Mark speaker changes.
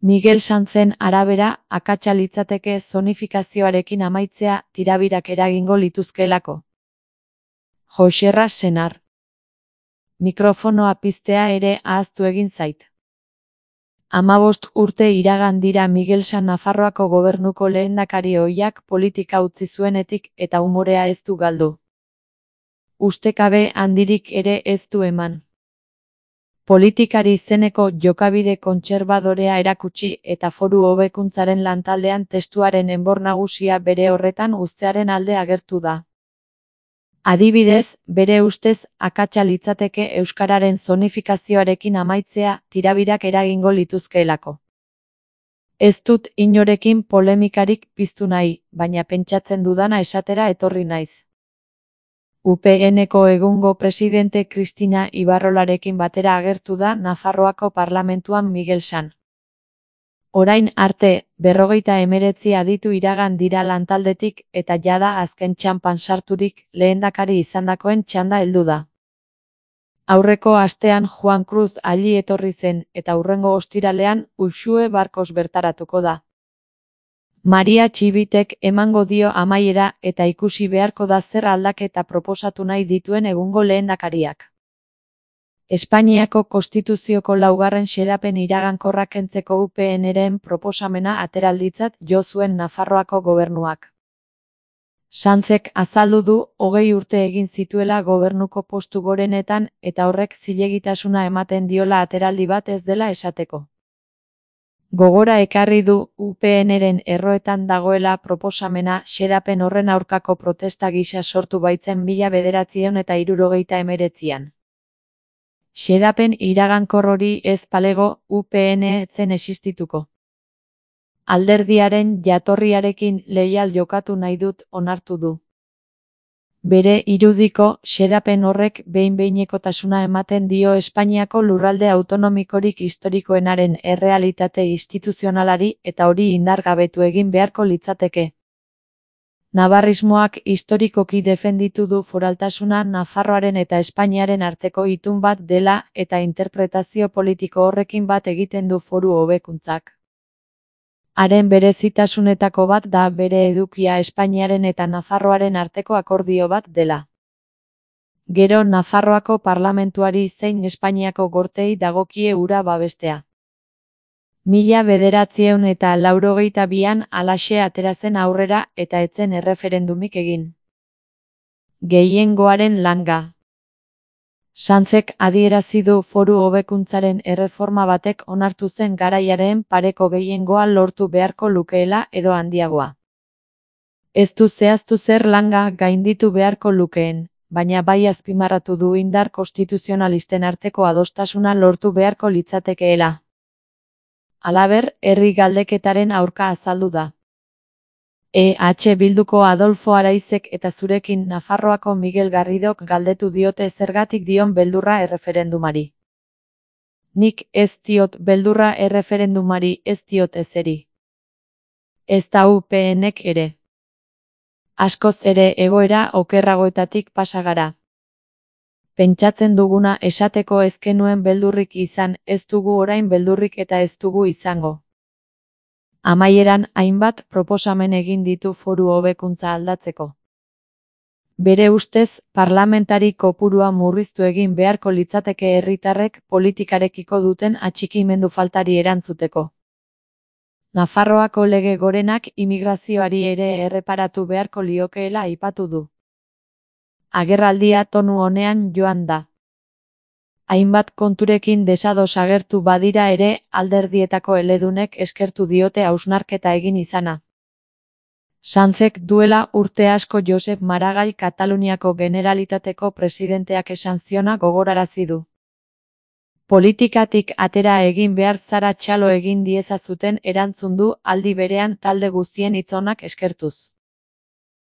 Speaker 1: Miguel Sanzen arabera, akatsa litzateke zonifikazioarekin amaitzea tirabirak eragingo lituzkeelako. Joxerra Senar. Mikrofonoa piztea ere ahaztu egin zait. 15 urte iragan dira Miguel San Nafarroako gobernuko lehendakari ohiak politika utzi zuenetik eta umorea ez du galdu. Ustekabe handirik ere ez du eman. Politikari izeneko jokabide kontserbadorea erakutsi eta foru hobekuntzaren lantaldean testuaren enbor nagusia bere horretan uztearen alde agertu da. Adibidez, bere ustez akatsa litzateke euskararen zonifikazioarekin amaitzea tirabirak eragingo lituzkeelako. Ez dut inorekin polemikarik piztu nahi, baina pentsatzen dudana esatera etorri naiz. UPN-ko egungo presidente Cristina Ibarrolarekin batera agertu da Nafarroako parlamentuan Miguel San. Orain arte, 59 aditu iragan dira lantaldetik eta jada azken txanpan sarturik lehendakari izandakoen txanda heldu da. Aurreko astean Juan Cruz alli etorri zen eta hurrengo ostiralean Uxue Barkos bertaratuko da. Maria Txibitek emango dio amaiera eta ikusi beharko da zer aldaketa proposatu nahi dituen egungo lehendakariak. Espainiako Konstituzioko 4. xedapen iragankorra kentzeko UPN-ren proposamena ateralditzat jo zuen Nafarroako gobernuak. Sanzek azaldu du 20 urte egin zituela gobernuko postu gorenetan eta horrek zilegitasuna ematen diola ateraldi bat ez dela esateko. Gogora ekarri du UPN-ren erroetan dagoela proposamena xedapen horren aurkako protesta gisa sortu baitzen 1969an. Xedapen iragankor hori ez balego UPN ez zen existituko. Alderdiaren jatorriarekin leial jokatu nahi dut onartu du. Bere irudiko, xedapen horrek behin-behinekotasuna ematen dio Espainiako lurralde autonomikorik historikoenaren errealitate instituzionalari eta hori indargabetu egin beharko litzateke. Navarrismoak historikoki defenditu du foraltasuna Nafarroaren eta Espainiaren arteko itun bat dela eta interpretazio politiko horrekin bat egiten du foru hobekuntzak. Haren berezitasunetako bat da bere edukia Espainiaren eta Nafarroaren arteko akordio bat dela. Gero Nafarroako parlamentuari zein Espainiako gorteei dagokie hura babestea. 1982an halaxe atera zen aurrera eta ez zen erreferendumik egin. Gehiengoaren langa. Sanzek adierazi du foru hobekuntzaren erreforma batek onartu zen garaiaren pareko gehiengoa lortu beharko lukeela edo handiagoa. Ez du zehaztu zer langa gainditu beharko lukeen, baina bai azpimarratu du indar konstituzionalisten arteko adostasuna lortu beharko litzatekeela. Halaber, herri galdeketaren aurka azaldu da. Bilduko Adolfo Araizek eta zurekin Nafarroako Miguel Garridok galdetu diote zergatik dion beldurra erreferendumari. Nik ez diot beldurra erreferendumari, ez diot ezeri. Ez da UPN-ek ere. Askoz ere egoera okerragoetatik pasa gara. Pentsatzen duguna esateko ez genuen beldurrik izan, ez dugu orain beldurrik eta ez dugu izango. Amaieran hainbat proposamen egin ditu foru hobekuntza aldatzeko. Bere ustez, parlamentari kopurua murriztu egin beharko litzateke herritarrek politikarekiko duten atxikimendu faltari erantzuteko. Nafarroako lege gorenak imigrazioari ere erreparatu beharko liokeela aipatu du. Agerraldia tonu honean joan da. Hainbat konturekin desados agertu badira ere, alderdietako eledunek eskertu diote hausnarketa egin izana. Sanzek duela urte asko Josep Maragall Kataluniako Generalitateko presidenteak esan ziona gogorarazi du. Politikatik atera egin behar zara txalo egin diezazuten erantzun du aldi berean talde guztien hitz onak eskertuz.